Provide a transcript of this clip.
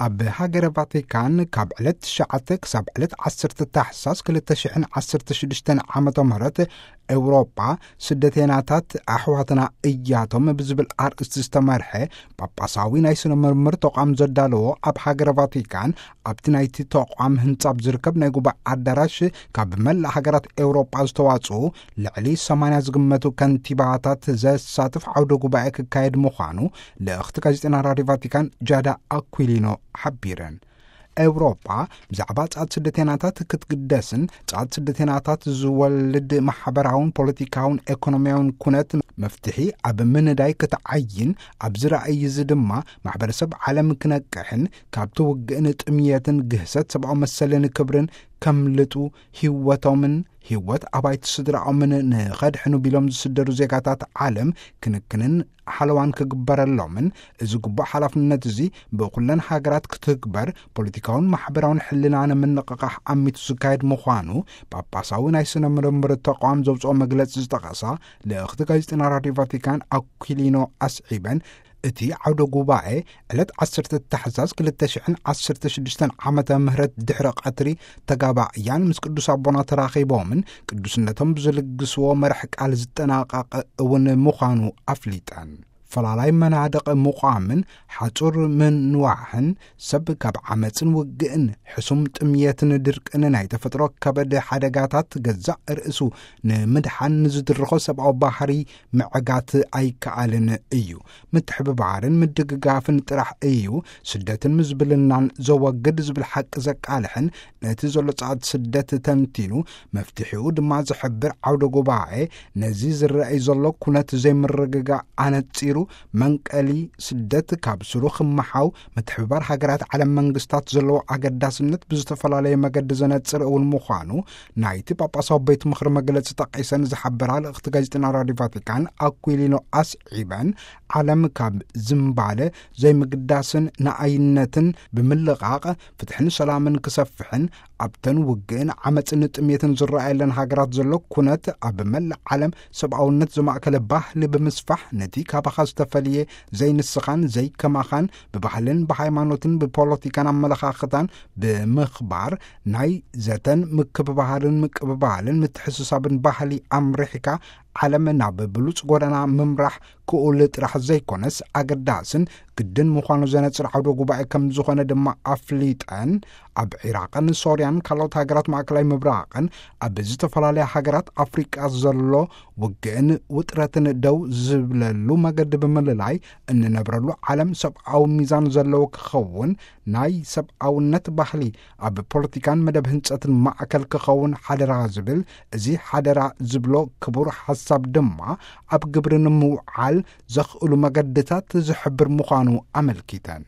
ኣብ ሃገረ ቫቲካን ካብ ዕለት ትሽዓተ ክሳብ ዕለት ዓሰርተ ታሕሳስ ክልተ ሽሕን ዓሰርተ ሽዱሽተን ዓመተ ምህረት፣ ኤውሮጳ ስደተናታት ኣሕዋትና እያቶም ብዝብል ኣርእስቲ ዝተመርሐ ጳጳሳዊ ናይ ስነ ምርምር ተቋም ዘዳለዎ፣ ኣብ ሃገረ ቫቲካን ኣብቲ ናይቲ ተቋም ህንጻ ኣብ ዝርከብ ናይ ጉባኤ ኣዳራሽ ካብ መላእ ሃገራት ኤውሮጳ ዝተዋጽኡ ልዕሊ ሰማንያ ዝግመቱ ከንቲባታት ዘሳትፍ ዓውደ ጉባኤ ክካየድ ምዃኑ ልእኽቲ ጋዜጠና ራድዮ ቫቲካን ጃዳ ኣኩሊኖ ሓቢረን። ኤውሮጳ ብዛዕባ ጻት ስደተናታት ክትግደስን ጻት ስደተናታት ዝወልድ ማሕበራውን ፖለቲካውን ኤኮኖሚያውን ኩነት መፍትሒ ኣብ ምንዳይ ክትዓይን፣ ኣብዚ ራእይ እዚ ድማ ማሕበረሰብ ዓለም ክነቅሕን ካብቲ ውግእን ጥምየትን ግህሰት ሰብኣዊ መሰልን ክብርን ከምልጡ፣ ህይወቶምን ህይወት ኣባይቲ ስድራኦምን ንኸድሕኑ ቢሎም ዝስደዱ ዜጋታት ዓለም ክንክንን ሓለዋን ክግበረሎምን፣ እዚ ግቡእ ሓላፍነት እዚ ብኩለን ሃገራት ክትግበር ፖለቲካውን ማሕበራውን ሕልና ንምንቕቓሕ ኣሚቱ ዝካየድ ምዃኑ ጳጳሳዊ ናይ ስነ ምርምር ተቋም ዘውፅኦ መግለጺ ዝጠቐሳ ልእኽቲ ጋዜጠና ራድዮ ቫቲካን ኣኩሊኖ ኣስዒበን፣ እቲ ዓውደ ጉባኤ ዕለት ዓሰርተ ታሕሳስ ክልተ ሽሕን ዓሰርተ ሽዱሽተን ዓመተ ምህረት ድሕሪ ቀትሪ ተጋባእያን ምስ ቅዱስ ኣቦና ተራኺቦምን ቅዱስነቶም ብዝልግስዎ መርሕ ቃል ዝጠናቐቕ እውን ምዃኑ ኣፍሊጠን። ፈላላይ መናድቕ ምቋምን ሓጹር ምንዋሕን ሰብ ካብ ዓመጽን ውግእን ሕሱም ጥምየትን ድርቅን ናይ ተፈጥሮ ከበድ ሓደጋታት ገዛእ ርእሱ ንምድሓን ንዝድርኾ ሰብኣዊ ባህሪ ምዕጋት ኣይከኣልን እዩ። ምትሕብባርን ምድግጋፍን ጥራሕ እዩ ስደትን ምዝብልናን ዘወግድ ዝብል ሓቂ ዘቃልሕን ነቲ ዘሎ ጻዕት ስደት ተንቲኑ መፍትሒኡ ድማ ዝሕብር ዓውደ ጉባኤ ነዚ ዝረኣይ ዘሎ ኩነት ዘይምርግጋእ ኣነጺሩ መንቀሊ ስደት ካብ ስሩ ክመሓው ምትሕብባር ሃገራት ዓለም መንግስታት ዘለዎ ኣገዳስነት ብዝተፈላለየ መገዲ ዘነጽር እውን ምዃኑ ናይቲ ጳጳሳዊ ቤት ምኽሪ መግለጺ ጠቒሰን ዝሓበራ ልእኽቲ ጋዜጠና ራድዮ ቫቲካን ኣኩሊኖ ኣስዒበን፣ ዓለም ካብ ዝምባለ ዘይምግዳስን ንኣይነትን ብምልቓቕ ፍትሕን ሰላምን ክሰፍሕን ኣብተን ውግእን ዓመፅን ጥሜትን ዝረኣየለን ሃገራት ዘሎ ኩነት ኣብ መላእ ዓለም ሰብኣውነት ዘማእከለ ባህሊ ብምስፋሕ ነቲ ካባኻ ዝተፈልየ ዘይንስኻን ዘይከማኻን ብባህልን ብሃይማኖትን ብፖለቲካን ኣመለኻኽታን ብምኽባር ናይ ዘተን ምክብባሃርን ምቅብባልን ምትሕስሳብን ባህሊ ኣምሪሕካ ዓለም ናብ ብሉፅ ጎዳና ምምራሕ ክኡል ጥራሕ ዘይኮነስ ኣገዳስን ግድን ምዃኑ ዘነፅር ዓውደ ጉባኤ ከም ዝኾነ ድማ ኣፍሊጠን፣ ኣብ ዒራቕን ሶርያን ካልኦት ሃገራት ማእከላይ ምብራቕን ኣብ ዝተፈላለያ ሃገራት ኣፍሪቃ ዘሎ ውግእን ውጥረትን ደው ዝብለሉ መገዲ ብምልላይ እንነብረሉ ዓለም ሰብኣዊ ሚዛን ዘለዎ ክኸውን ናይ ሰብኣውነት ባህሊ ኣብ ፖለቲካን መደብ ህንጸትን ማእከል ክኸውን ሓደራ ዝብል፣ እዚ ሓደራ ዝብሎ ክቡር ሓሳብ ድማ ኣብ ግብሪ ንምውዓል ዘኽእሉ መገድታት ዝሕብር ምዃኑ ኣመልኪተን።